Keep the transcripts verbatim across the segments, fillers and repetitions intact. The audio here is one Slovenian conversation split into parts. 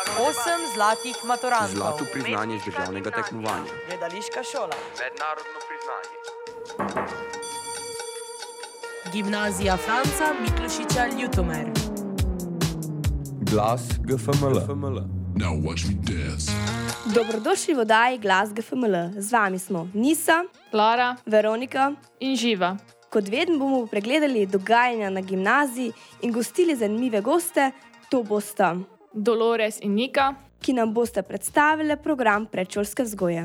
Osem zlatih maturantov. Zlato priznanje z državnega tekmovanja. Gledališka šola. Mednarodno priznanje. Gimnazija Franca Miklošiča Ljutomer. Glas G F M L. Now watch me dance. Dobrodošli v oddaji Glas G F M L. Z vami smo Nisa, Lara Veronika in Živa. Kot vedno bomo pregledali dogajanja na gimnaziji in gostili zanimive goste, to bosta Dolores in Nika, ki nam boste predstavili program predšolske vzgoje.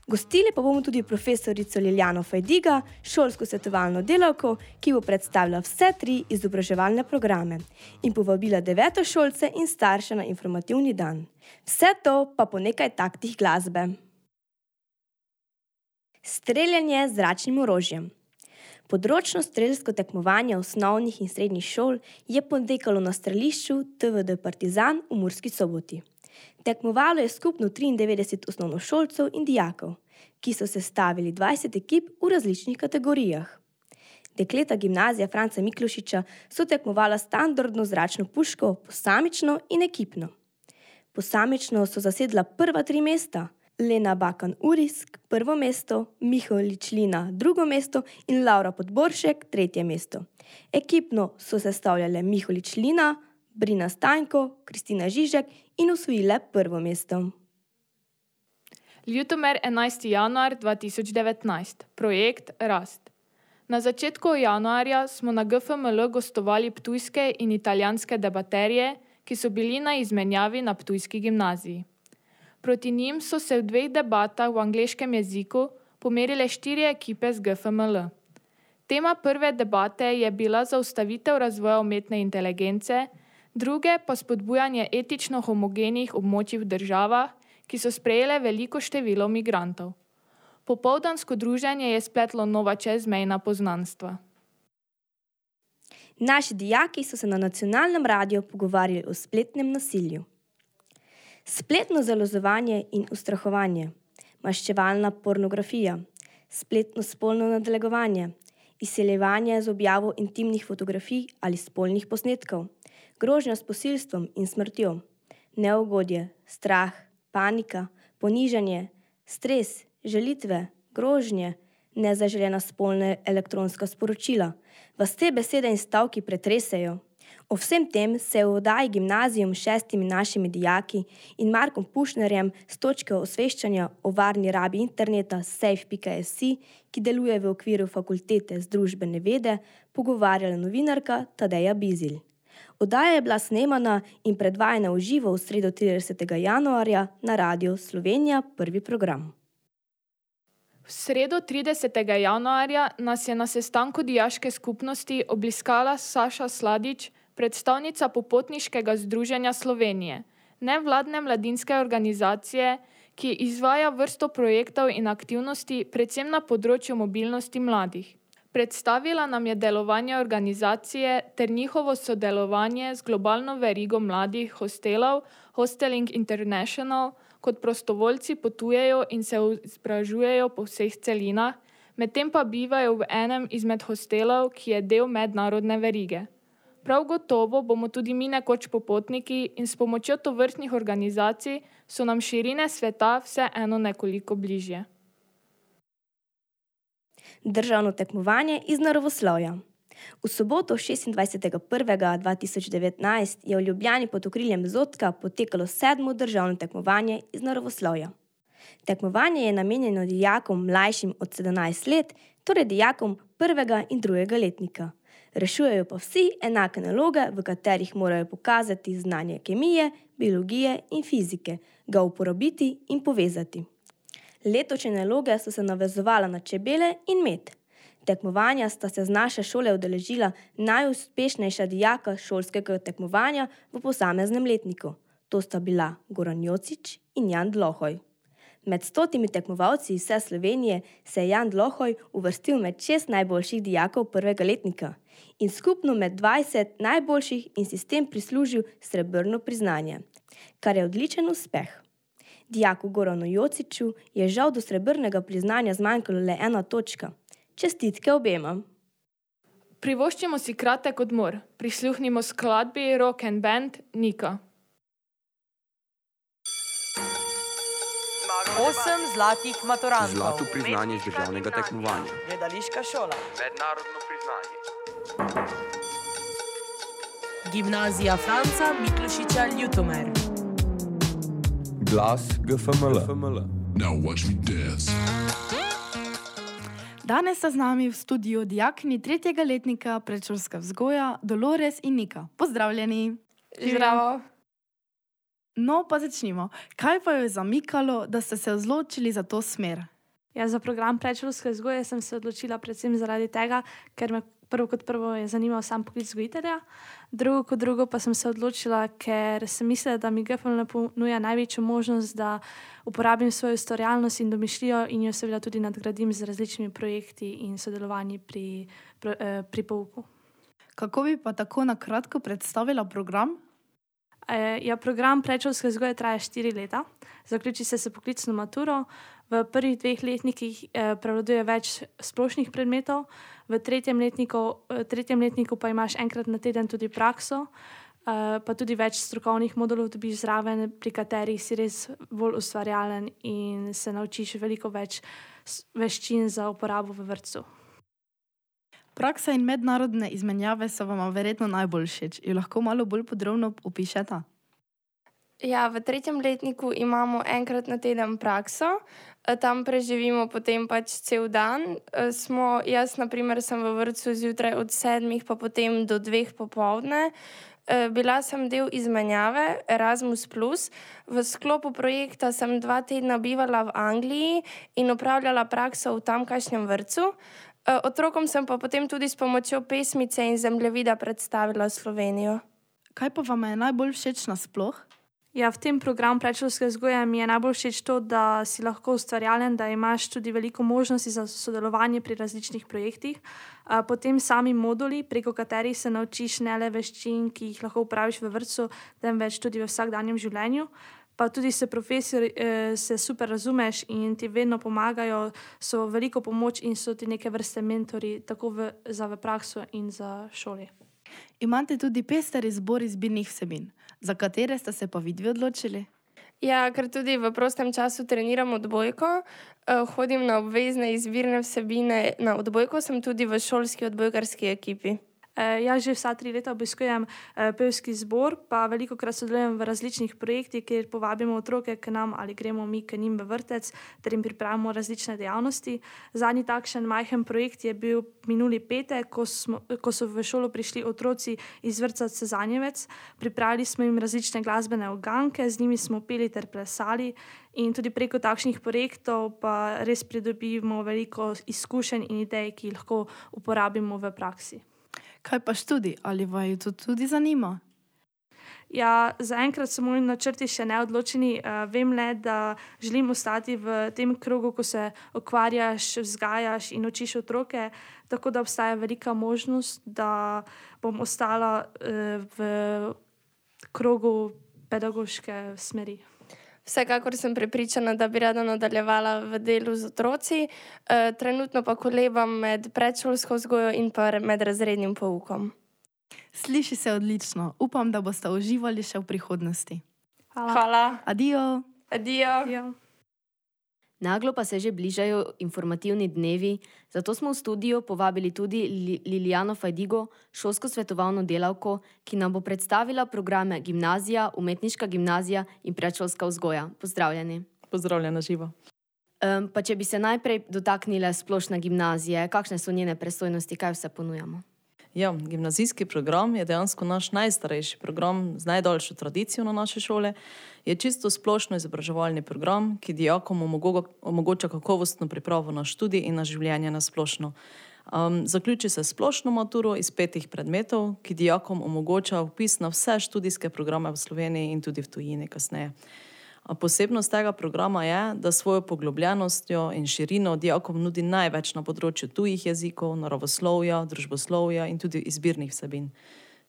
Gostili pa bomo tudi profesorico Liljano Fajdiga, šolsko svetovalno delavko, ki bo predstavila vse tri izobraževalne programe in povabila devetošolce in starše na informativni dan. Vse to pa po nekaj taktih glasbe. Streljanje z zračnim orožjem. Področno strelsko tekmovanje osnovnih in srednjih šol je potekalo na strelišču T V D Partizan v Murski Soboti. Tekmovalo je skupno triindevetdeset osnovnošolcev in dijakov, ki so sestavili dvajset ekip v različnih kategorijah. Dekleta gimnazija Franca Miklošiča so tekmovala standardno zračno puško posamično in ekipno. Posamično so zasedla prva tri mesta, Lena Bakan Urisk prvo mesto, Miholič Lina drugo mesto in Laura Podboršek tretje mesto. Ekipno so sestavljale Miholič Lina, Brina Stanjko, Kristina Žižek in osvojile prvo mesto. Ljutomer enajsti januar dva tisoč devetnajst. Projekt Rast. Na začetku januarja smo na G F M L gostovali ptujske in italijanske debaterje, ki so bili na izmenjavi na ptujski gimnaziji. Proti njim so se v dveh debatah v angleškem jeziku pomerile štiri ekipe z G F M L. Tema prve debate je bila zaustavitev razvoja umetne inteligence, druge pa spodbujanje etično homogenih območij v državah, ki so sprejele veliko število migrantov. Popoldansko druženje je spletlo nova čezmejna poznanstva. Naši dijaki so se na nacionalnem radiju pogovarjali o spletnem nasilju. Spletno zalozovanje in ustrahovanje, maščevalna pornografija, spletno spolno nadlegovanje, izsiljevanje z objavo intimnih fotografij ali spolnih posnetkov, grožnja s posilstvom in smrtjo, neugodje, strah, panika, ponižanje, stres, žalitve, grožnje, nezaželena spolna elektronska sporočila. Vas te besede in stavki pretresejo? O vsem tem se v oddaji Gimnazijum s šestimi našimi dijaki in Markom Pušnerjem s točke osveščanja o varni rabi interneta safe pika es i, ki deluje v okviru fakultete z družbene vede, pogovarjala novinarka Tadeja Bizilj. Oddaja je bila snemana in predvajana v živo v sredo tridesetega januarja na Radiu Slovenija prvi program. V sredo tridesetega januarja nas je na sestanku dijaške skupnosti obiskala Saša Sladič, predstavnica Popotniškega združenja Slovenije, nevladne mladinske organizacije, ki izvaja vrsto projektov in aktivnosti predvsem na področju mobilnosti mladih. Predstavila nam je delovanje organizacije ter njihovo sodelovanje z globalno verigo mladih hostelov Hosteling International, kot prostovoljci potujejo in se izobražujejo po vseh celinah, medtem pa bivajo v enem izmed hostelov, ki je del mednarodne verige. Prav gotovo bomo tudi mi nekoč popotniki in s pomočjo tovrstnih organizacij so nam širine sveta vseeno nekoliko bližje. Državno tekmovanje iz naravoslovja. V soboto šestindvajsetega prvega dva tisoč devetnajst je v Ljubljani pod okriljem Zotka potekalo sedmo državno tekmovanje iz naravoslovja. Tekmovanje je namenjeno dijakom mlajšim od sedemnajst let, torej dijakom prvega in drugega letnika. Rešujejo pa vsi enake naloge, v katerih morajo pokazati znanje kemije, biologije in fizike, ga uporabiti in povezati. Letošnje naloge so se navezovala na čebele in med. Tekmovanja sta se z naše šole udeležila najuspešnejša dijaka šolskega tekmovanja v posameznem letniku. To sta bila Goran Jocič in Jan Dlohoj. Med stotimi tekmovalci iz vse Slovenije se je Jan Dlohoj uvrstil med šest najboljših dijakov prvega letnika in skupno med dvajset najboljših in si s tem prislužil srebrno priznanje, kar je odličen uspeh. Dijaku Goranu Jociču je žal do srebrnega priznanja zmanjkalo le ena točka. Čestitke obema. Privoščimo si kratek odmor. Prisluhnimo skladbi Rock and Band Nika. Osem zlatih maturantov. Zlato priznanje z državnega tekmovanja. Gledališka šola. Mednarodno priznanje. Gimnazija Franca Miklošiča Ljutomer. Glas G F M L. Now watch me dance. Danes sta z nami v studiu dijakini tretjega letnika predšolska vzgoja Dolores in Nika. Pozdravljeni! Zdravo. No, pa začnimo. Kaj pa je zamikalo, da ste se odločili za to smer? Ja, za program predšolske vzgoje sem se odločila predvsem zaradi tega, ker me prvo kot prvo je zanimal sam poklic vzgojitelja, drugo kot drugo pa sem se odločila, ker sem mislila, da mi G F M L ponuja največjo možnost, da uporabim svojo ustvarjalnost in domišljijo in jo seveda tudi nadgradim z različnimi projekti in sodelovanji pri, pri, pri pouku. Kako bi pa tako na kratko predstavila program? E, ja, program predšolske vzgoje traja štiri leta, zaključi se s poklicno maturo. V prvih dveh letnikih eh, prevladuje več splošnih predmetov, v tretjem letniku, v tretjem letniku pa imaš enkrat na teden tudi prakso, eh, pa tudi več strokovnih modulov dobiš zraven, pri katerih si res bolj ustvarjalen in se naučiš veliko več veščin za uporabo v vrtcu. Praksa in mednarodne izmenjave so vam verjetno najbolj všeč. Jo lahko malo bolj podrobno opišete? Ja, v tretjem letniku imamo enkrat na teden prakso, tam preživimo potem pač cel dan. Smo, jaz, na primer, sem v vrtcu zjutraj od sedmih pa potem do dveh popoldne. Bila sem del izmenjave Erasmus plus. V sklopu projekta sem dva tedna bivala v Angliji in opravljala prakso v tamkajšnjem vrtcu. Otrokom sem pa potem tudi s pomočjo pesmice in zemljevida predstavila Slovenijo. Kaj pa vam je najbolj všeč nasploh? Ja, v tem programu predšolske vzgoje mi je najbolj všeč to, da si lahko ustvarjalen, da imaš tudi veliko možnosti za sodelovanje pri različnih projektih. Potem sami moduli, preko katerih se naučiš ne le veščin, ki jih lahko uporabiš v vrtcu, temveč tudi v vsakdanjem življenju. Pa tudi se profesori se super razumeš in ti vedno pomagajo, so veliko pomoč in so ti neke vrste mentori, tako v, za v prakso in za šoli. Imate tudi pester izbor izbirnih vsebin. Za katere ste se pa vidvi odločili? Ja, ker tudi v prostem času treniram odbojko, hodim na obvezne izbirne vsebine na odbojko, sem tudi v šolski odbojkarski ekipi. Jaz že vsa tri leta obiskujem pevski zbor, pa velikokrat sodelujem v različnih projektih, kjer povabimo otroke k nam ali gremo mi k njim v vrtec, ter jim pripravimo različne dejavnosti. Zadnji takšen majhen projekt je bil minuli petek, ko, smo, ko so v šolo prišli otroci iz vrtca Cezanjevec. Pripravili smo jim različne glasbene uganke, z njimi smo peli ter plesali in tudi preko takšnih projektov pa res pridobimo veliko izkušenj in idej, ki jih lahko uporabimo v praksi. Kaj pa študij? Ali vaju to tudi zanima? Ja, zaenkrat so moji načrti še neodločeni. Vem le, da želim ostati v tem krogu, ko se ukvarjaš, vzgajaš in učiš otroke, tako da obstaja velika možnost, da bom ostala v krogu pedagoške smeri. Vsekakor sem prepričana, da bi rada nadaljevala v delu z otroci, e, trenutno pa kolebam med predšolsko vzgojo in pa med razrednim poukom. Sliši se odlično. Upam, da boste uživali še v prihodnosti. Hvala. Hvala. Adijo. Adijo. Ja. Naglo pa se že bližajo informativni dnevi, zato smo v studio povabili tudi Lilijano Fajdigo, šolsko svetovalno delavko, ki nam bo predstavila programe Gimnazija, Umetniška gimnazija in predšolska vzgoja. Pozdravljeni. Pozdravljena živo. Um, pa če bi se najprej dotaknile splošne gimnazije, kakšne so njene pristojnosti, kaj vse ponujamo? Ja, gimnazijski program je dejansko naš najstarejši program z najdaljšo tradicijo na naše šole. Je čisto splošno izobraževalni program, ki dijakom omogoča kakovostno pripravo na študij in na življenje na splošno. Um, zaključi se splošno maturo iz petih predmetov, ki dijakom omogoča vpis na vse študijske programe v Sloveniji in tudi v tujini kasneje. A posebnost tega programa je, da svojo poglobljenostjo in širino dijakom nudi največ na področju tujih jezikov, naravoslovja, družboslovja in tudi izbirnih vsebin.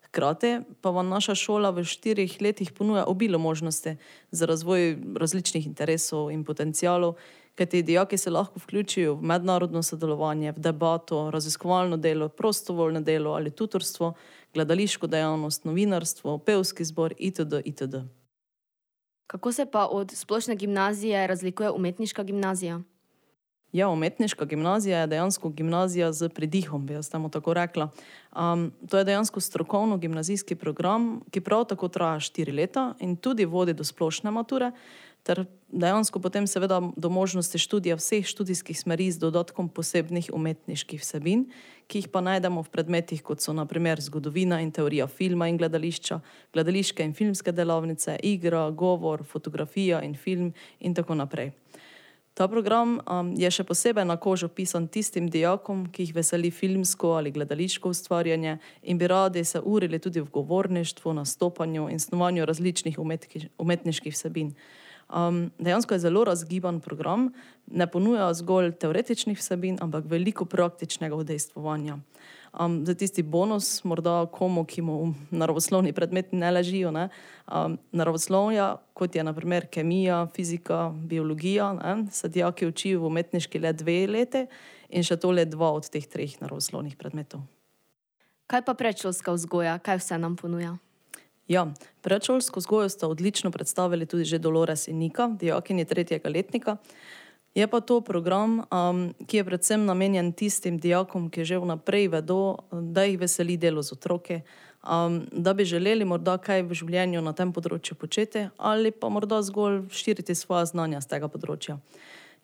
Hkrati pa vam naša šola v štirih letih ponuja obilo možnosti za razvoj različnih interesov in potencialov, kajti dijaki se lahko vključijo v mednarodno sodelovanje, v debato, raziskovalno delo, prostovoljno delo ali tutorstvo, gledališko dejavnost, novinarstvo, pevski zbor itd. itd. Kako se pa od splošne gimnazije razlikuje umetniška gimnazija? Ja, umetniška gimnazija je dejansko gimnazija z pridihom, bi jaz temu tako rekla. Um, to je dejansko strokovno gimnazijski program, ki prav tako traja štiri leta in tudi vodi do splošne mature, ter dejansko potem seveda do možnosti študija vseh študijskih smeri z dodatkom posebnih umetniških vsebin, ki jih pa najdemo v predmetih, kot so na primer zgodovina in teorija filma in gledališča, gledališke in filmske delavnice, igra, govor, fotografija in film in tako naprej. Ta program um, je še posebej na kožo pisan tistim dijakom, ki jih veseli filmsko ali gledališko ustvarjanje in bi radi se urili tudi v govorništvu, nastopanju in snovanju različnih umetki, umetniških vsebin. Um, dejansko je zelo razgiban program, ne ponuja zgolj teoretičnih vsebin, ampak veliko praktičnega udejstvovanja. Um, za tisti bonus, morda komu, ki mu naravoslovni predmeti ne ležijo, ne? Um, naravoslovja, kot je na primer kemija, fizika, biologija, ne? Se dijaki učijo v umetniški le dve leti in še to le dva od teh treh naravoslovnih predmetov. Kaj pa predšolska vzgoja, kaj vse nam ponuja? Ja, predšolsko vzgojo sta odlično predstavili tudi že Dolores in Nika, dijakinji tretjega letnika. Je pa to program, um, ki je predvsem namenjen tistim dijakom, ki že vnaprej vedo, da jih veseli delo z otroke, um, da bi želeli morda kaj v življenju na tem področju početi ali pa morda zgolj širiti svoja znanja z tega področja.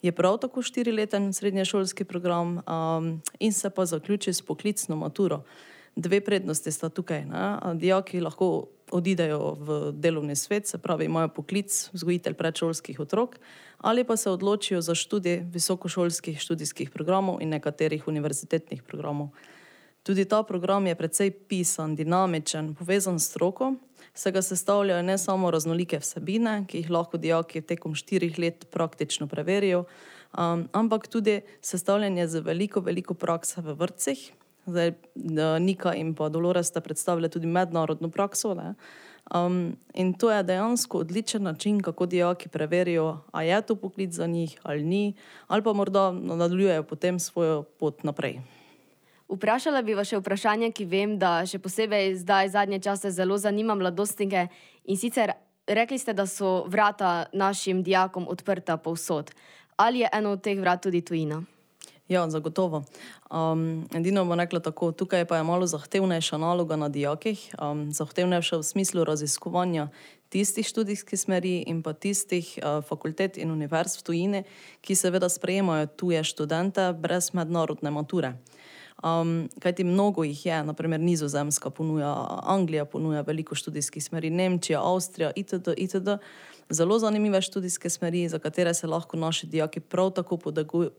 Je prav tako štirileten srednješolski program um, in se pa zaključi s poklicno maturo. Dve prednosti sta tukaj. Ne? Dijaki lahko odidejo v delovni svet, se pravi imajo poklic vzgojitelj predšolskih otrok, ali pa se odločijo za študij visokošolskih študijskih programov in nekaterih univerzitetnih programov. Tudi ta program je precej pisan, dinamičen, povezan s stroko, se ga sestavljajo ne samo raznolike vsebine, ki jih lahko dijaki tekom štirih let praktično preverijo, um, ampak tudi sestavljanje z veliko, veliko prakse v vrtcih. Zdaj, Nika in pa Dolores sta predstavili tudi mednarodno prakso. Ne? Um, in to je dejansko odličen način, kako dijaki preverijo, a je to poklic za njih ali ni, ali pa morda nadaljujejo potem svojo pot naprej. Vprašala bi vas še vprašanje, ki vem, da še posebej zdaj zadnje čase zelo zanima mladostnike. In sicer rekli ste, da so vrata našim dijakom odprta povsod. Ali je eno od teh vrat tudi tujina? Ja, zagotovo. Um, edino bom rekla tako, tukaj pa je malo zahtevnejša naloga na dijakih, um, zahtevnejša v smislu raziskovanja tistih študijskih smeri in pa tistih uh, fakultet in univerz v tujini, ki seveda sprejemajo tuje študente brez mednarodne mature. Um, kajti mnogo jih je, naprimer Nizozemska ponuja, Anglija ponuja veliko študijskih smeri, Nemčija, Avstrija itd. itd. Zelo zanimive študijske smeri, za katere se lahko naši dijaki prav tako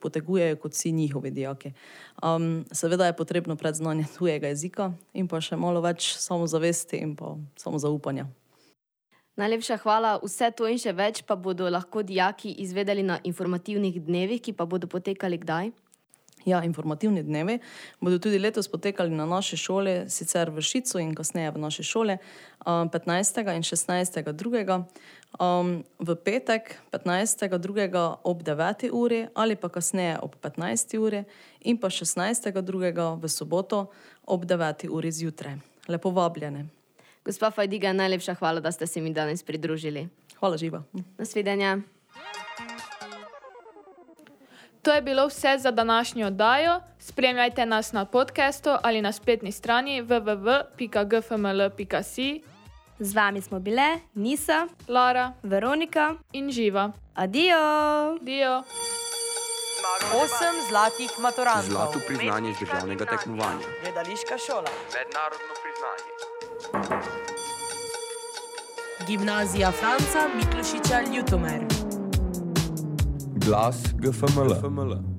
potegujejo kot vsi njihovi dijaki. Um, seveda je potrebno predznanje tujega jezika in pa še malo več samozavesti in pa samozaupanja. Najlepša hvala. Vse to in še več pa bodo lahko dijaki izvedeli na informativnih dnevih, ki pa bodo potekali kdaj? Ja, informativni dnevi bodo tudi letos potekali na naši šoli, sicer v Šicu in kasneje v naši šoli, petnajstega in šestnajstega drugega Um, v petek petnajstega drugega ob deveti uri ali pa kasneje ob petnajsti uri in pa šestnajstega drugega v soboto ob deveti uri zjutraj. Lepo vabljene. Gospa Fajdiga, najlepša hvala, da ste se mi danes pridružili. Hvala, živa. Nasvidenja. To je bilo vse za današnjo oddajo. Spremljajte nas na podcastu ali na spletni strani w w w pika g f m l pika si. Z vami smo bile Nisa, Lara, Veronika in Živa. Adijo! Dio. Osem zlatih maturantov. Zlato priznanje z državnega tekmovanja. Gledališka šola. Mednarodno priznanje. Gimnazija Franca Miklošiča Ljutomer. Glas G F M L.